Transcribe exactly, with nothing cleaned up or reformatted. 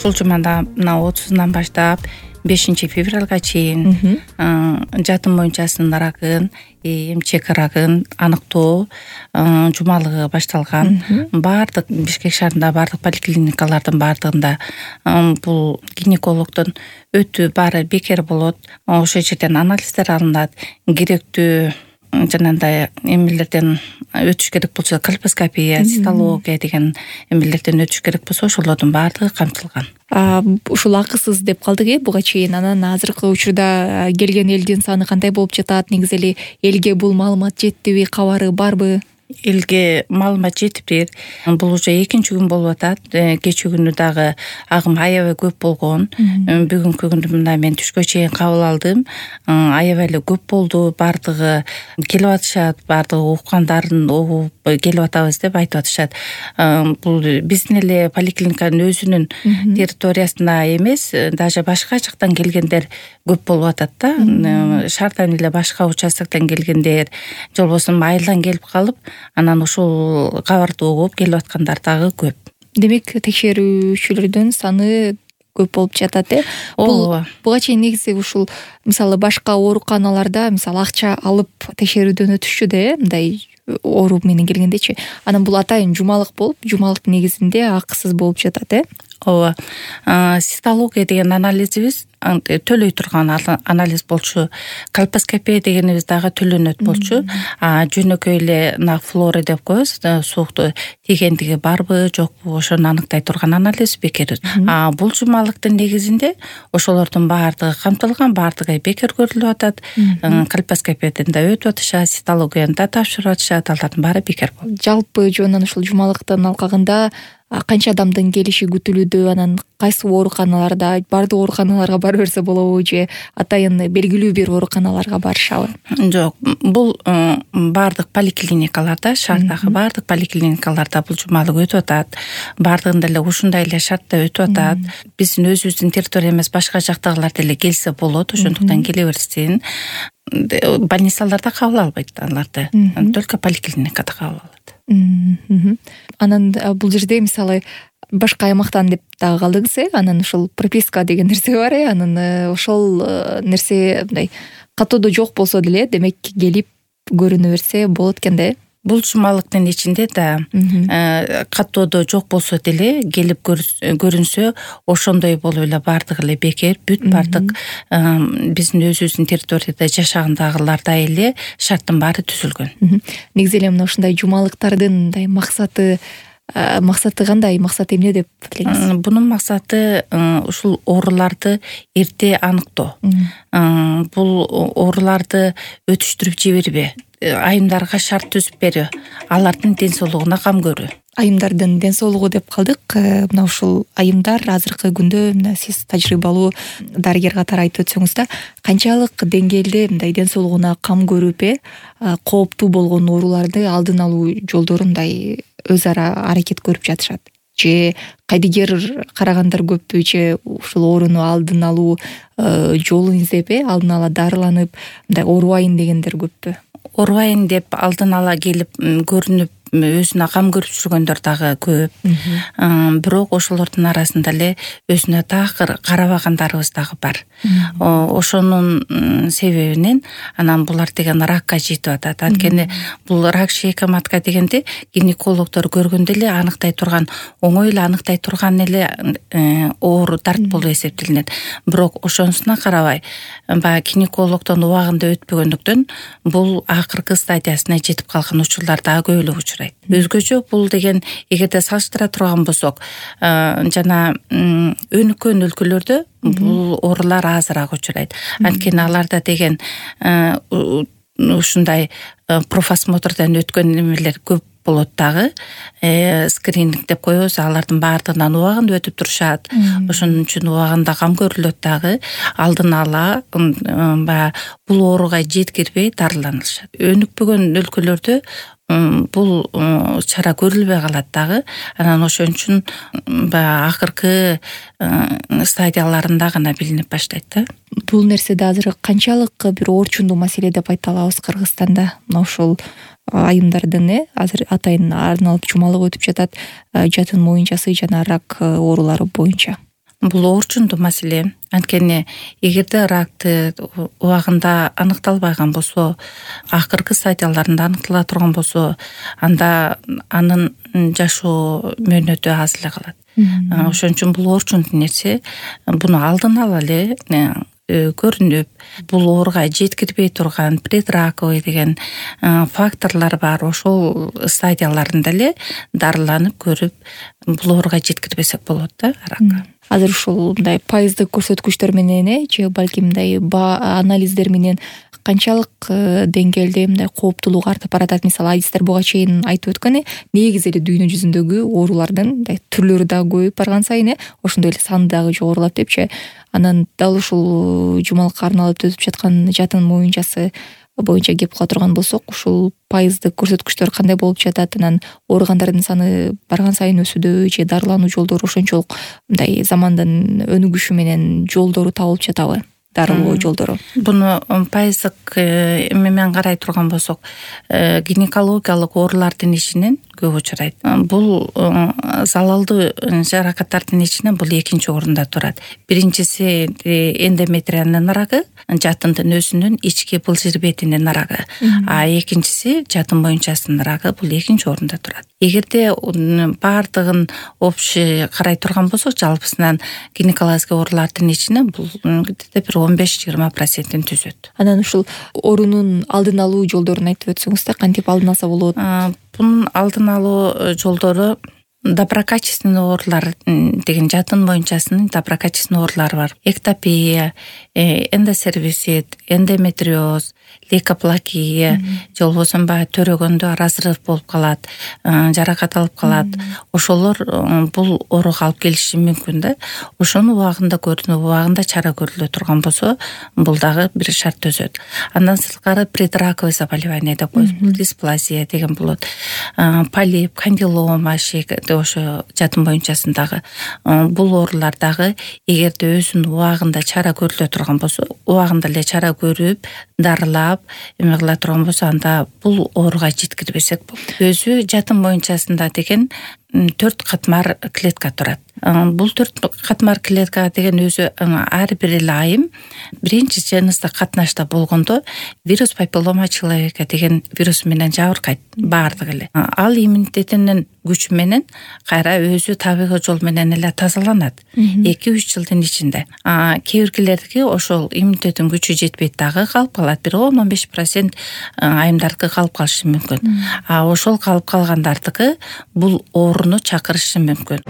ушул жумада мына отузунан баштап бешинчи февралга чейин жатын моюнчасынын рагын, эмчек рагын аныктоо жумалыгы башталган. Баардык Бишкек шаарындагы баардык поликлиникалардын баардыгында бул гинекологдун өтүү баары бекер болот. Ошол жерден анализдер алынат, керектүү жанагындай эмелерден өтүш керек болсо колпоскопия, цитология деген эмелерден өтүш керек болсо ошолордун баардыгы камтылган. Ушул акысыз деп калдык э буга чейин. Анан азыркы учурда келген элдин саны кандай болуп жатат? Негизи эле элге бул маалымат жеттиби, кабары барбы? Элге маалымат жетиптир. Бул уже экинчи күн болуп атат. Кечээ күнү дагы агым аябай көп болгон. Бүгүнкү күндү мына мен түшкө чейин кабыл алдым. Аябай эле көп болду. Баардыгы келип атышат, баардыгы уккандарын угуп келип атабыз деп айтып атышат. Бул биздин эле поликлиниканын өзүнүн территориясына эмес, даже башка жактан келгендер көп болуп атат да. Шаардан эле башка участоктон келгендер, же болбосо айылдан келип калып, анан ушул кабарды угуп келип аткандар дагы көп. Демек, текшерүүчүлөрдүн саны көп болуп жатат э. Бул буга чейин негизи ушул мисалы башка ооруканаларда мисалы акча алып текшерүүдөн өтүшчү да э, мындай оору менен келгендечи. Анан бул атайын жумалык болуп, жумалыктын негизинде акысыз болуп жатат э. Ооба. Цитология деген анализибиз төлөй турган анализ болчу. Колпоскопия дегенибиз дагы төлөнөт болчу. Жөнөкөй эле на флора деп коебуз, суукту тийгендиги барбы, жокпу, ошону аныктай турган анализ бекер. Бул жумалыктын негизинде ошолордун баардыгы камтылган, баардыгы бекер көрүлүп атат. Колпоскопиядан да өтүп атышат, цитологияны да тапшырып атышат, алардын баары бекер болот. Жалпы жөнүнөн ушул жумалыктын алкагында канча адамдын келиши күтүлүүдө, анан кайсы ооруканаларда, баардык ооруканаларга бара берсе болобу же атайын белгилүү бир ооруканаларга барышабы? Жок, бул баардык поликлиникаларда, шаардагы баардык поликлиникаларда бул жумалык өтүп атат. Баардыгында эле ушундай эле шартта өтүп атат. Биздин өзүбүздүн территориябыз башка жактагылар деле келсе болот, ошондуктан келе берсин. Больницаларда кабыл албайт аларды, только поликлиникада кабыл алат. Анан бул жерде мисалы башка аймактан деп дагы калдыңыз э, анан ушул прописка деген нерсе бар э, анан ошол нерсе мындай катоодо жок болсо деле, демек келип көрүнө берсе болот экен да э. Бул жумалыктын ичинде да катоодо жок болсо деле келип көрүнсө, ошондой болуп эле баардыгы эле бекер, бүт баардык биздин өзүбүздүн территорияда жашагандагыларда эле шарттын баары түзүлгөн. Негизи эле мына ушундай жумалыктардын мындай максаты максаты кандай, максаты эмне деп билесиз? Бунун максаты ушул ооруларды эрте аныктоо. Бул ооруларды өтүштүрүп жибербей, айымдарга шарт түзүп берүү, алардын ден соолугуна кам көрүү. Айымдардын ден соолугу деп калдык. Мына ушул айымдар азыркы күндө, мына сиз тажрыйбалуу дарыгер катары айтып өтсөңүз да, канчалык деңгээлде мындай ден соолугуна кам көрүп э, кооптуу болгон ооруларды алдын алуу жолдорун мындай өз ара аракет көрүп жатышат? Же кайдыгер карагандар көппү, же ушул ооруну алдын алуу жолун издеп э, алдын ала дарыланып, мындай оорубайын дегендер көппү? Оорубайын деп алдын ала келип көрүнүп өзүнө кам көрүп жүргөндөр дагы көп. Бирок ошолордун арасында эле өзүнө такыр карабагандарыбыз дагы бар. Ошонун себебинен анан булар деген ракка жетип атат. Анткени бул рак шейка матка дегенде гинекологдор көргөндө эле аныктай турган, оңой эле аныктай турган эле оору дарт болуп эсептелинет. Бирок ошонусуна карабай, баягы гинекологдон убагында өтпөгөндүктөн бул акыркы стадиясына жетип калган учурлар дагы көп эле учурайт. Өзгөчө бул деген эгерде салыштыра турган болсок, жана өнүккөн өлкөлөрдө бул оорулар азыраак учурайт. Анткени аларда деген ушундай профосмотрдон өткөн немелер көп болот дагы. Скрининг деп коебуз, алардын баардыгынан убагында өтүп турушат. Ошон үчүн убагында кам көрүлөт дагы. Алдын ала баягы бул ооруга жеткирбей дарыланышат. Өнүкпөгөн өлкөлөрдө бул чара көрүлбөй калат дагы. Анан ошон үчүн баягы акыркы стадияларында гана билинип баштайт да. Бул нерседе азыр канчалык бир орчундуу маселе деп айта алабыз Кыргызстанда? Мына ушул айымдардын э азыр атайын арналып жумалык өтүп жатат, жатын моюнчасы жана рак оорулары боюнча. Бул оорчундуу маселе. Анткени эгерде ракты убагында аныкталбаган болсо, акыркы стадияларында аныктала турган болсо, анда анын жашоо мөөнөтү аз эле калат. Ошон үчүн бул оорчундуу нерсе, буну алдын ала эле көрүнүп, бул ооруга жеткирбей турган предраковый деген факторлор бар. Ошол стадияларында эле дарыланып көрүп, бул ооруга жеткирбесек болот да ракка. Азыр ушул мындай пайыздык көрсөткүчтөр менен э же балким мындай анализдер менен канчалык деңгээлде мындай кооптуулугу артып баратат? Мисалы, адистер буга чейин айтып өткөн, негизи эле дүйнө жүзүндөгү оорулардын мындай түрлөрү дагы көбөйүп барган сайын э ошондой эле саны дагы жогорулап депчи. Анан дал ушул жумалыкка арналып өтүп жаткан жатын моюнчасы боюнча кеп кыла турган болсок, ушул пайыздык көрсөткүчтөр кандай болуп жатат? Анан ооругандардын саны барган сайын өсүүдө же дарылануу жолдору ошончолук мындай замандын өнүгүшү менен жолдору табылып жатабы? Дарылоо жолдору. Буну пайыздык эме менен карай турган болсок, гинекологиялык оорулардын ичинен көп учурайт. Бул залалдуу жаракаттардын ичинен бул экинчи орунда турат. Биринчиси эндометриянын рагы, жатындын өзүнүн ички былжыр бетинин рагы. А экинчиси жатын моюнчасынын рагы, бул экинчи орунда турат. Эгерде баардыгын общий карай турган болсок, жалпысынан гинекологик оорулардын ичинен бул бир он беш жыйырма процентин түзөт. Анан ушул оорунун алдын алуу жолдорун айтып өтсөңүз да, кантип алдын алса болот? Бунун алдын алуу жолдору доброкачественный оорулар деген жатын моюнчасынын доброкачественный оорулары бар. Эктопия, эндосервисит, эндометриоз, лейкоплакия, же болбосо баягы төрөгөндө разрыв болуп калат, жаракат алып калат. Ошолор бул ооруга алып келиши мүмкүн да. Ошону убагында көрүнүп, убагында чара көрүлө турган болсо, бул дагы бир шарт түзөт. Андан сырткары предраковый заболевание деп коебуз. Бул дисплазия деген болот. Полип, кандилома ошо жатын моюнчасындагы бул оорулар дагы эгерде өзүнүн убагында чара көрүлө турган болсо, убагында эле чара көрүп, дарылап, эме кыла турган болсо, анда бул ооруга жеткирбесек болот. Өзү жатын моюнчасында деген төрт катмар клетка турат. Бул төрт катмар клетка деген өзү ар бир эле айым биринчи жыныстык катнашта болгондо вирус папиллома человека деген вирус менен жабыркайт баардыгы эле. Ал иммунитетинин күчү менен кайра өзү табигый жол менен эле тазаланат эки үч жылдын ичинде. Кээ биркилердики ошол иммунитеттин күчү жетпейт, дагы калып калат. Бир он он беш процент айымдардыкы калып калышы мүмкүн. А ошол калып калгандардыкы бул ооруну чакырышы мүмкүн.